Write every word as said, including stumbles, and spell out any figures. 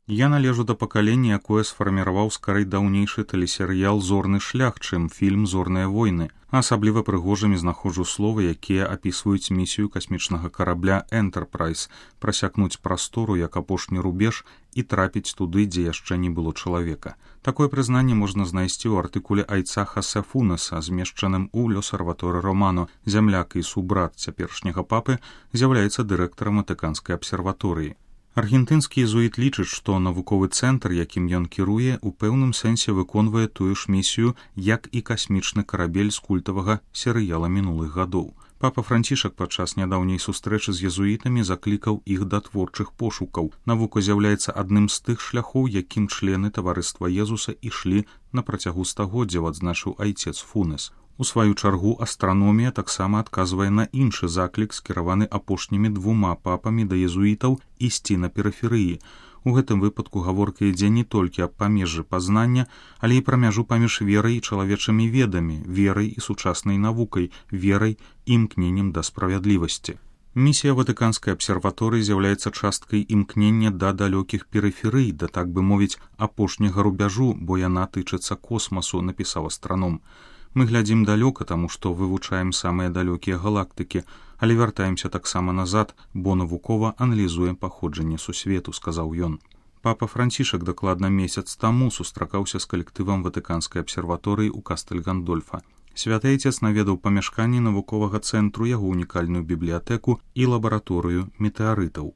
Я належу да пакалення, якое сфарміраваў скарэй даўнейшы тэлесерыял «Зорны шлях», чым фільм «Зорныя войны». Асабліва прыгожымі знаходжу словы, якія апісваюць місію касмічнага карабля «Энтэрпрайз» прасякнуць прастору як апошні рубеж і трапіць туды, дзе яшчэ не было чалавека. Такое прызнанне можна знайсці ў артыкуле Айцаха Сефунеса, змешчаным у «Лёс-Арваторы Романо». Зямляк і субрат цяперашняга папы з'яўляецца дырэктарам Ватыканскай абсерваторыі. Аргентынскі езуіт лічыць, што навуковы цэнтр, якім ён кіруе, у пэўным сэнсе выконвае тую ж місію, як і касмічны карабель з культавага серыяла мінулых гадоў. Папа Францішак падчас нядаўняй сустрэчы з езуітамі заклікаў іх да творчых пошукаў. Навука з'яўляецца адным з тых шляхоў, якім члены таварыства Езуса ішлі на працягу стагоддзяў, адзначыў айцец Фунес. У сваю чаргу астраномія таксама адказвае на іншы заклік, скіраваны апошнімі двума папамі да езуітаў ісці на перыферыі. У гэтым выпадку гаворка ідзе не толькі аб памежжы пазнання, але і пра мяжу паміж верай і чалавечымі ведамі, верай і сучаснай навукай, верай і імкненнем да справядлівасці. Місія Ватыканскай абсерваторыі з'яўляецца часткай імкнення да далёкіх перыферый, да, так бы мовіць, апошняга рубяжу, бо яна тычыцца космасу, напісаў астраном. Мы глядзім далёка, таму што вывучаем самыя далёкія галактыкі, але вяртаемся таксама назад, бо навукова аналізуем паходжанне сусвету, сказаў ён. Папа Францішак дакладна месяц таму сустракаўся з калектывам Ватыканскай абсерваторыі ў Кастэль-Гандольфа. Святы айцец наведаў памяшканні навуковага цэнтру, яго унікальную бібліятэку і лабараторыю метэарытаў.